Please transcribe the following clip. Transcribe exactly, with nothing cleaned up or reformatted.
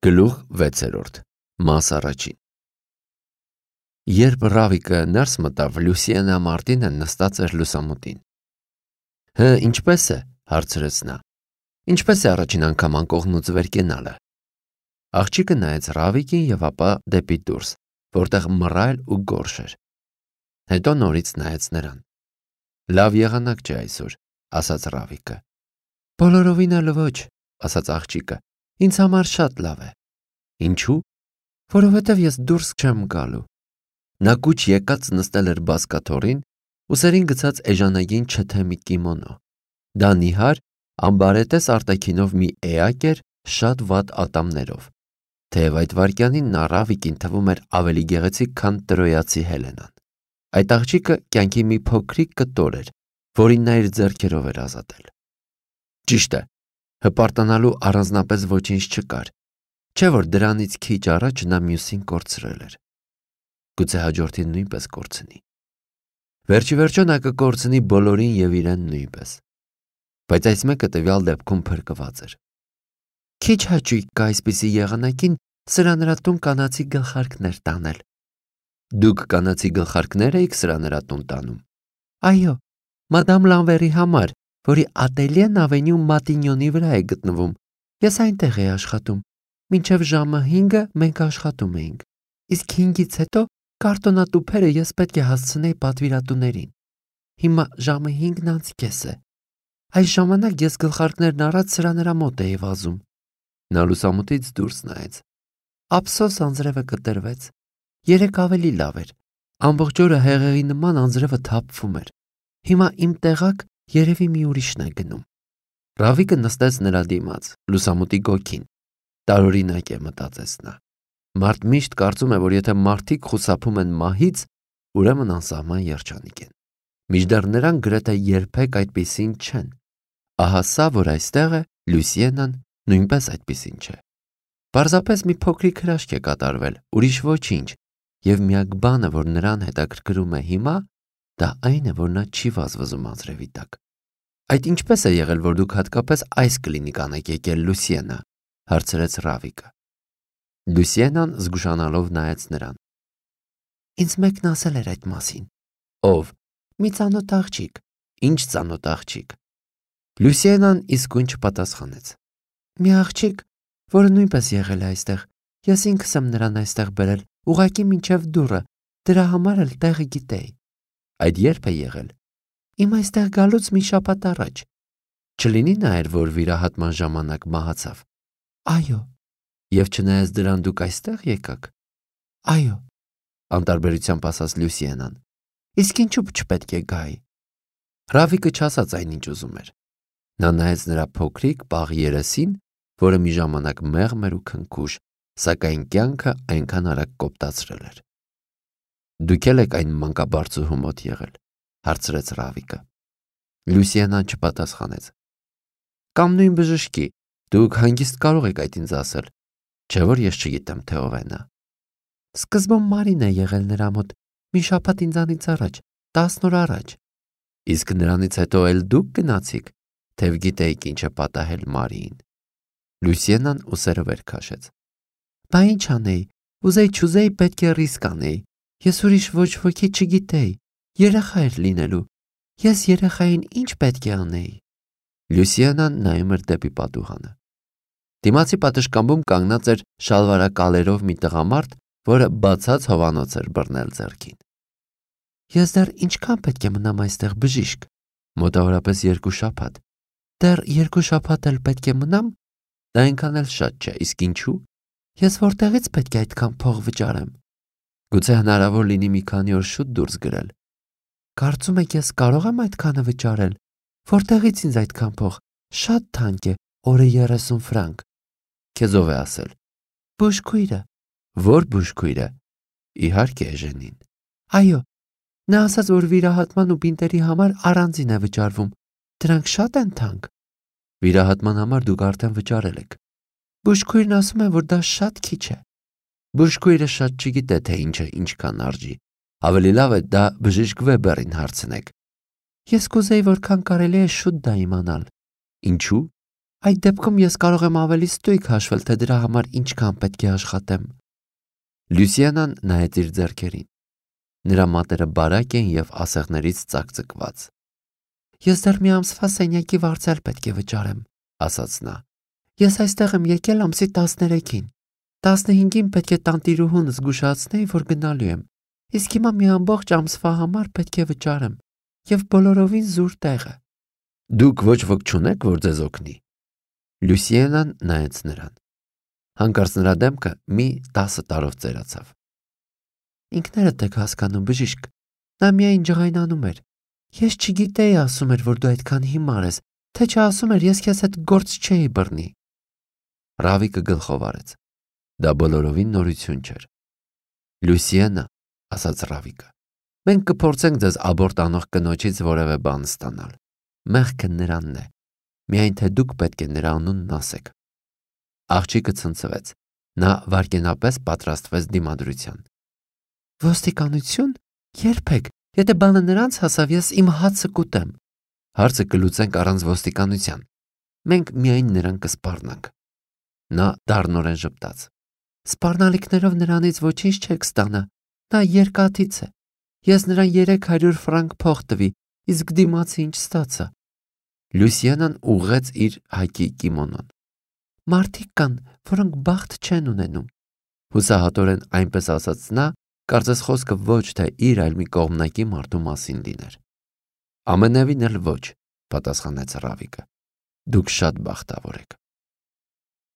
Գլուխ վեցերորդ Մաս առաջին Երբ Ռավիկը ներս մտավ, Լուսիենա Մարտինը նստած էր լուսամուտին։ Հը, ինչպես է, հարցրեց նա։ Ինչպես է առաջին անգամ անկողնուց վեր կենալը։ Աղջիկը նայեց Ռավիկին եւ ապա դեպի դուրս, որտեղ մռայլ ու գորշ էր։ Հետո նորից նայեց նրան։ Լավ եղանակ չէ այսօր, ասաց Ռավիկը։ Բոլորովին էլ ոչ, ասաց աղջիկը։ Ինձ համար շատ լավ է։ Ինչու՞։ Որովհետև ես դուրս չեմ գալու։ Նա կուչ եկած նստել էր բազկաթոռին, ուսերին գցած էժանագին չթեմի կիմոնո։ Դա նիհար, ամբարետես արտաքինով մի էակ էր շատ վատ ատամներով։ Թեև այդ վայրկյանին նա Ռավիկին թվում էր ավելի գեղեցիկ, քան տրոյացի Հելենան։ Այդ աղջիկը կյանքի մի փոքրիկ կտոր էր, որին նա իր ձեռքերով էր ազատել։ Ճիշտ է, հպարտանալու առանձնապես ոչինչ չկար, չէ՞ որ դրանից քիչ առաջ նա մյուսին կորցրել էր։ Գուցե հաջորդին նույնպես կորցնի։ Վերջի վերջո նա կկորցնի բոլորին եւ իրեն նույնպես։ Բայց այս մեկը տվյալ դեպքում փրկված էր։ Քիչ հաճույք կա այսպիսի եղանակին սրա նրա տուն կանացի գլխարկներ տանել։ Դուք կանացի գլխարկներ էիք սրա նրա տուն տանում։ Այո, մադամ Լանվերի համար, որի ատելյեն ավենյու Մատինյոնի վրա է գտնվում։ Ես այնտեղ էի աշխատում։ Մինչև ժամը հինգը մենք աշխատում էինք։ Իսկ հինգից հետո կարտոնատուփերը ես պետք է հասցնեի պատվիրատուներին։ Հիմա ժամը հինգն անց կես է։ Այս ժամանակ ես գլխարկներն առած սրա նրա մոտ էի վազում։ Նա լուսամուտից դուրս նայեց։ Ափսոս անձրևը կտրվեց։ Երեք ավելի լավ էր։ Ամբողջ օրը հեղեղի նման անձրևը թափվում էր։ Հիմա իմ տեղակ երևի մի ուրիշն է գնում։ Ռավիկը նստեց նրա դիմաց, լուսամուտի գոգին։ Տարօրինակ է, մտածեց նա։ Մարդ միշտ կարծում է, որ եթե մարդիկ խուսափում են մահից, ուրեմն անսահման երջանիկ են։ Մինչդեռ նրանք գրեթե երբեք այդպիսին չեն։ Ահա սա, որ այստեղ է, Լուսիենան նույնպես այդպիսին չէ։ Պարզապես մի փոքրիկ հրաշք է կատարվել, ուրիշ ոչինչ, եւ միակ բանը, որ նրան հետաքրքրում է հիմա, դա այն է, որ նա չի վազվզում անձրևի տակ։ Այդ ինչպես է եղել, որ դուք հատկապես այս կլինիկան եք եկել, Լուսիենա, հարցրեց Ռավիկը։ Լուսիենան զգուշանալով նայեց նրան։ Ինձ մեկն ասել էր այդ մասին։ Ով։ Մի ծանոթ աղջիկ։ Ինչ ծանոթ աղջիկ։ Լուսիենան իսկույն չպատասխանեց։ Մի աղջիկ, որը նույնպես եղել է այստեղ։ Ես ինքս եմ նրան այստեղ բերել, ուղղակի մինչև դուռը, դրա համար էլ տեղը գիտեի։ Այդ երբ է եղել։ Իմ այստեղ գալուց մի շաբաթ առաջ։ Չլինի նա էր, որ վիրահատման ժամանակ մահացավ։ Այո։ Եվ չնայած դրան դուք այստեղ եկաք։ Այո, անտարբերությամբ ասաց Լուսիենան։ Իսկ ինչու չպետք է գայի։ Ռավիկը չասաց այն, ինչ ուզում էր։ Նա նայեց նրա փոքրիկ պաղ երեսին, որը մի ժամանակ մեղմ էր ու քնքուշ, սակայն կյանքը այնքան արագ կոպտացրել էր։ Դուք եք այն մանկաբարձուհու մոտ եղել, հարցրեց Ռավիկը։ Լուսիենան չպատասխանեց։ Կամ նույն բժշկի, դուք հանգիստ կարող եք այդ ինձ ասել, չէ՞ որ ես չգիտեմ, թե ով է նա։ Սկզբում Մարին է եղել նրա մոտ, մի շաբաթ ինձանից առաջ, տասն օր առաջ։ Իսկ նրանից հետո էլ դուք գնացիք, թեև գիտեիք ինչ է պատահել Մարիին։ Լուսիենան ուսերը վեր քաշեց։ Բա ինչ անեի, ուզեի չուզեի պետք է ռիսկ անեի։ Ես ուրիշ ոչ ոքի չգիտեի, երեխա էր լինելու։ Ես երեխային ինչ պետք է անեի։ Լուսիենան նայում էր դեպի պատուհանը։ Դիմացի պատշգամբում կանգնած էր շալվարակալերով մի տղամարդ, որը բացած հովանոց էր բռնել ձեռքին։ Ես դեռ ինչքան պետք է մնամ այստեղ, բժիշկ։ Մոտավորապես երկու շաբաթ։ Դեռ երկու շաբաթ էլ պետք է մնամ։ Դա այնքան էլ շատ չէ, իսկ ինչու։ Ես որտեղից պետք է այդքան փող վճարեմ։ Գուցե հնարավոր լինի մի քանի օր շուտ դուրս գրել։ Կարծում եք ես կարող եմ այդքանը վճարել։ Որտեղից ինձ այդքան փող։ Շատ թանկ է, օրը երեսուն ֆրանկ։ Քեզ ով է ասել։ Բուժքույրը։ Ո՞ր բուժքույրը։ Իհարկե Էժենին։ Այո, նա ասաց, որ վիրահատման ու բինտերի համար առանձին է վճարվում։ Դրանք շատ են թանկ։ Վիրահատման համար դուք արդեն վճարել եք։ Բուժքույրն ասում է, որ դա շատ քիչ է։ Բուժքույրը շատ չգիտե, թե ինչը ինչքան արժի։ Ավելի լավ է դա բժիշկ Վեբերին հարցնեք։ Ես կուզեի որքան կարելի է շուտ դա իմանալ։ Ինչու։ Այդ դեպքում ես կարող եմ ավելի ստույգ հաշվել, թե դրա համար ինչքան պետք է աշխատեմ։ Լյուսիանան նայեց իր ձեռքերին։ Նրա մատերը բարակ էին և ասեղներից ծակծկված։ Ես դեռ մի ամսվա սենյակի վարձել պետք է վճարեմ, ասաց նա։ Ես այստեղ եմ եկել ամսի տասներեքին։ տասնհինգին պետք է տանտիրուհուն զգուշացնեի, որ գնալու եմ, իսկ հիմա մի ամբողջ ամսվա համար պետք է վճարեմ և բոլորովին զուր տեղը։ Դուք ոչ ոք չունեք, որ ձեզ օգնի։ Լյուսիանան նայեց նրան։ Հանկարծ նրա դեմքը մի տասը տարով ծերացավ։ Ինքներդ եք հասկանում, բժիշկ, նա միայն ջղայնանում էր։ Ես չգիտեի, ասում էր, որ դու այդքան հիմար ես, թե չասում էր, ես քեզ հետ գործ չէի բռնի։ Ռավիկը գլխով արեց։ Դա բոլորովին նորություն չէր։ Լյուսիանա, ասաց Ռավիկը, մենք կփորձենք ձեզ աբորտ անող կնոջից որևէ բան ստանալ։ Մեղքը նրանն է։ Միայն թե դուք պետք է նրա անունն ասեք։ Աղջիկը ցնցվեց։ Նա վայրկենապես պատրաստվեց դիմադրության։ Ոստիկանություն։ Երբեք։ Եթե բանը նրանց հասավ, ես իմ հացը կուտեմ։ Հարցը կլուծենք առանց ոստիկանության։ Մենք միայն նրան կսպառնանք։ Նա դառնորեն ժպտաց։ Սպառնալիքներով նրանից ոչինչ չեք ստանա։ Նա երկաթից է։ Ես նրան երեք հարյուր ֆրանկ փող տվի, իսկ դիմացը ինչ ստացա։ Լյուսիանան ուղղեց իր հայկի կիմոնոն։ Մարդիկ կան, որոնք բախտ չեն ունենում։ Հուսահատորեն այնպես ասաց նա, կարծես խոսքը ոչ թե իր, այլ մի կողմնակի մարդու մասին լիներ։ Ամենևին էլ ոչ, պատասխանեց Ռավիկը։ Դուք շատ բախտավոր եք։